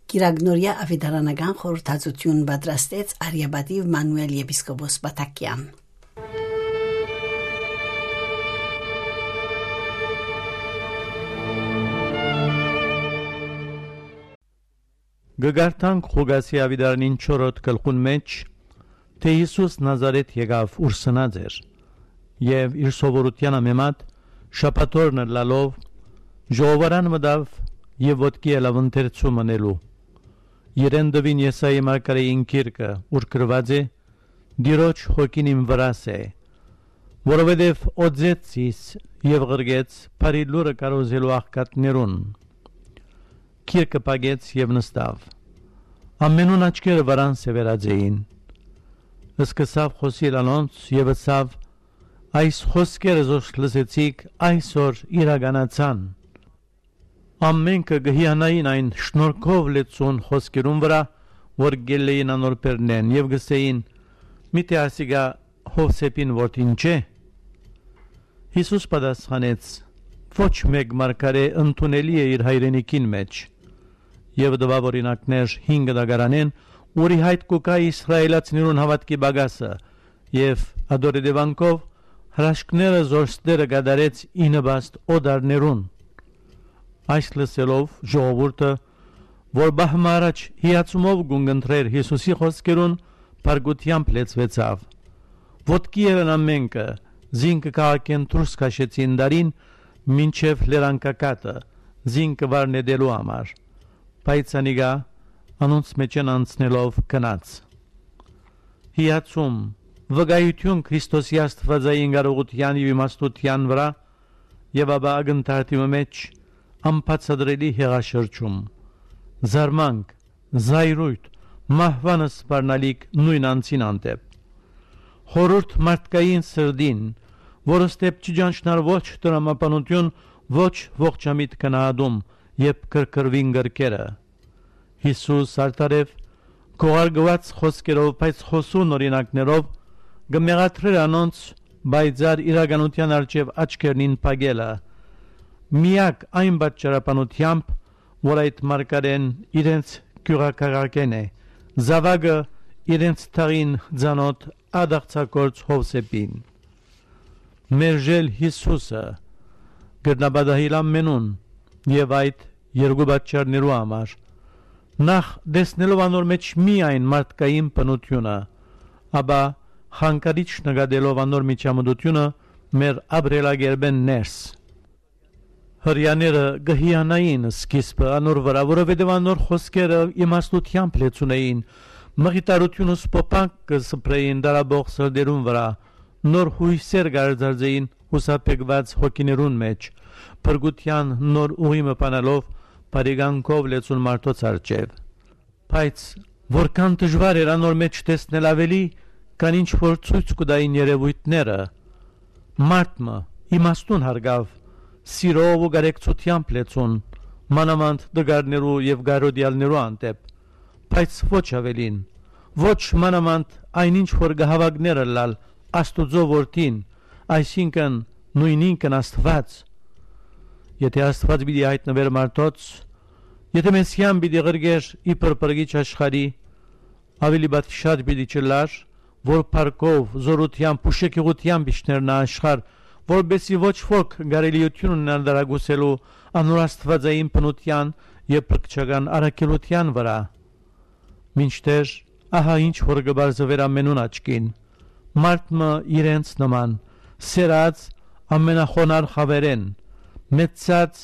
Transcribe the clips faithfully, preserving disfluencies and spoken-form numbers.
Կիրագնորյա աւետարանական խորհրդածութիւն պատրաստեց արիապատիւ Մանուել եպիսկոպոս Պաթակեան։ Կը կարդանք Ղուկասի աւետարանին չորրորդ գլխուն մէջ, թէ Յիսուս Նազարէթ եկաւ, ուր սնած էր, եւ իր սովորութեան համեմատ շաբաթօրն ըլլալով, ժողովարան մտաւ եւ ոտքի ելաւ ընթերցում ընելու։ Իրեն տուին Եսայի մարգարէին գիրքը, ուր գրուած է. «Տիրոջ հոգին իմ վրաս է, որովհետեւ օծեց զիս եւ ղրկեց բարի լուրը քարոզելու աղքատներուն»։ Գիրքը փակեց եւ նստաւ։ Ամենուն աչքերը վրան սեւեռած էին։ Սկսաւ խօսիլ անոնց եւ ըսաւ. «Այս խօսքերը զոր լսեցիք, այսօր իրականացան»։ Ամէնքը կը հիանային այն շնորհքով լեցուն խօսքերուն վրայ, որ կ'ելլէին անոր բերնէն, եւ կ'ըսէին. «Միթէ ասիկա Յովսէփին որդին չէ՞»։ Յիսուս պատասխանեց. «Ոչ մէկ մարգարէ ընդունելի է իր հայրենիքին մէջ»։ Եւ տուաւ օրինակներ հինգ դագարանէն, ուր ի հայտ կու գայ իսրայէլացիներուն հաւատքի պակասը, եւ ատոր հետեւանքով հրաշքները զոր ստերը կատարեց ի նպաստ օտարներուն։ Այս լսելով, ժողովուրդը, որ պահ մը առաջ հիացումով կունկնդրէր Յիսուսի խօսքերուն, փառկութեամբ լեցուեցաւ։ Ոտքի ելան ամէնքը, զինքը քաղաքէն դուրս քաշեցին, տարին մինչեւ լերան գագաթը, զինքը վար նետելու համար։ Բայց անիկա անոնց մէջէն անցնելով գնաց։ Հիացում, վկայութիւն Քրիստոսի աստուածային կարողութեան եւ իմաստութեան վրայ, եւ ապա ակնթարթի մը մէջ անբացատրելի հեղաշրջում, զարմանք, զայրույթ, մահուան սպառնալիք նոյն անձին հանդէպ։ Խորհուրդ մարդկային սրտին, որը ստեփ չի ճանչնար ոչ տրամաբանութիւն, ոչ ողջամիտ գնահատում, երբ կրկրուին կրկերը։ Յիսուս արդարեւ, քողարկուած խօսքերով, բայց խօսուն օրինակներով, կը մեղադրէր անոնց պայծառ իրականութեան առջեւ աչքերնին փակելը, միակ այն պատճառաբանությամբ, որ այդ մարգարէն իրենց գիւղաքաղաքէն է, զաւակը իրենց թաղին ծանօթ ատաղձագործ Յովսէփին։ Մերժել Յիսուսը կրնայ պատահիլ ամենուն, եւ այդ երկու պատճառներու համար։ Նախ, տեսնելով անոր մէջ միայն մարդկային բնութիւնը, ապա խանգարիչ նկատելով անոր միջամտութիւնը մեր ապրելակերպէն ներս։ Հրեաները կը հիանային սկիզբը անոր վրայ, որովհետեւ անոր խօսքերը իմաստութեամբ լեցուն էին, մխիթարութիւնը սփոփանք կը սփռէին դարաբող սրտերուն վրայ, նոր յոյսեր կ'արձարծէին յուսափեկուած հոգիներուն մէջ, փրկութեան նոր ուղի մը բանալով բարի կամքով լեցուն մարդոց առջեւ։ Բայց որքան դժուար էր անոր մէջ տեսնել աւելի, քան ինչ որ ցոյց կու տային երեւոյթները։ Մարդ մը իմաստուն հարգաւ, սիրով ու կարեկցութեամբ լեցուն, մանաւանդ տկարներու եւ կարոտեալներու հանդէպ, բայց ոչ աւելին, ոչ մանաւանդ այն ինչ որ կը հաւակներ ըլլալ Աստուծոյ որդին, այսինքն նոյնինքն Աստուած։ Եթէ Աստուած պիտի հայտնուէր մարդոց, եթէ Մեսիան պիտի ղրկէր իբր փրկիչ աշխարհի, աւելի պատշաճ պիտի չըլլար, որ փառքով, զօրութեամբ ու շքեղութեամբ իջնէր նա աշխարհ, որպէս զի ոչ ոք կարելիութիւն ունենար դարակուսելու անոր աստուածային բնութեան եւ փրկչական առաքելութեան վրայ։ Մինչդեռ, ահա ինչ որ կը պարզուէր ամենուն աչքին. մարդ մը իրենց նման, սերած ամենախոնար խաւերէն, մեծցած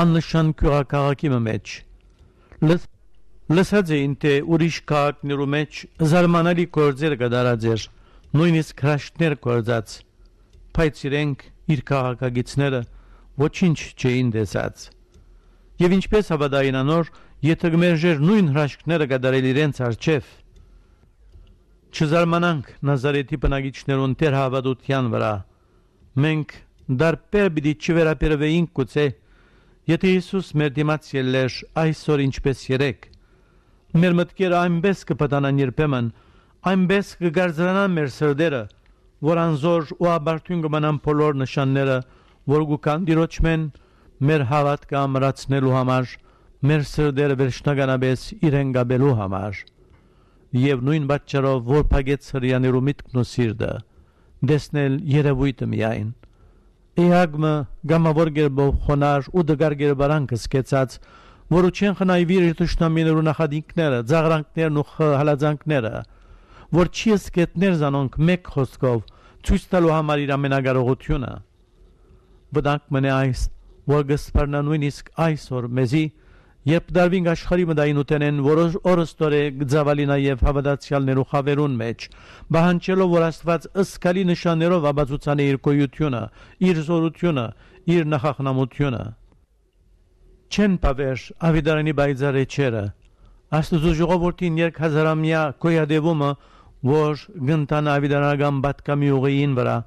աննշան գիւղաքաղաքի մը մէջ։ Լս-, լսած էին, թէ ուրիշ քաղաքներու մէջ զարմանալի գործեր կատարած էր, նոյնիսկ հրաշքներ գործած, բայց իրենք, իր քաղաքագիցները, ոչինչ չէին տեսած։ Եւ ինչպէս հաւատային անոր, եթէ կմերժէր նոյն հրաշքները կատարել իրենց առջեւ։ Չզարմանանք Նազարեթի բնակիչներուն թերհաւատութեան վրայ։ Մենք դարբեր պիտի չվերաբերվեինք գուցե, եթէ Յիսուս մեր դիմաց ելլէր այսօր ինչպէս երեկ։ Մեր մտքերը այնպէս կը փտանան երբեմն, այնպէս կը կարծրանան մեր սրտերը, որ անզոր ու ապարդիւն կը մնան բոլոր նշանները, որ կու գան Տիրոջմէն մեր հաւատքը ամրացնելու համար մեր սրտերը վերջնականապէս իրեն կապելու համար։ Եւ նոյն պատճառով որ փակեց Հրեաներու միտքն ու սիրտը, տեսնել երեւոյթը միայն։ Էակ մը կամաւոր կերպով խոնար ու տկար կերպարանքը սկեցած, որու չեն խնայուիր իր թշնամիներու նախատինքները, ծաղրանքներն ու խ-, հալածանքները, որ չի սկեթներ զանոնք մէկ խօսքով, ցոյց տալու համար իր ամենակարողութիւնը։ Վտանգ մնե այս, որ կը սպառնայ նոյնիսկ այսօր մեզի, երբ դարվինք աշխարհի մտայինութենէն, որ օր-, օրըստորէ կը ծաւալի նաեւ հաւատացեալներու խաւերուն մէջ, պահանջելով որ Աստուած զգալի նշաններով ապացուցանէ իր գոյութիւնը, իր զօրութիւնը, իր նախախնամութիւնը։ Չեն բաւեր աւետարանի պայծառ էջերը, Աստուծոյ ժողովուրդին երկհազարամեայ գոյատեւումը, որ կ'ընթանայ աւետարանական պատգամի ուղիին վրայ,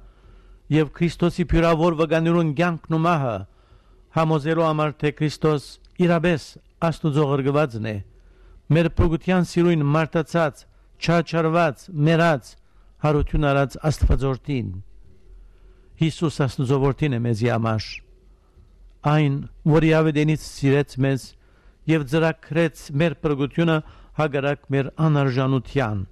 եւ Քրիստոսի բիւրաւոր վկաներուն կեանքն ու մահը, համոզելու համար թէ Քրիստոս իրապէս Աստուծոյ ղրկուածն է, մեր փրկութեան սիրոյն մարդացած, չարչարուած, մեռած, յարութիւն առած Աստուածորդին։ Յիսուս Աստուծոյ որդին է մեզի համար։ Այն, որ իր աւետենից սիրեց մեզ եւ ծրագրեց մեր փրկութիւնը հակառակ մեր անարժանութեան։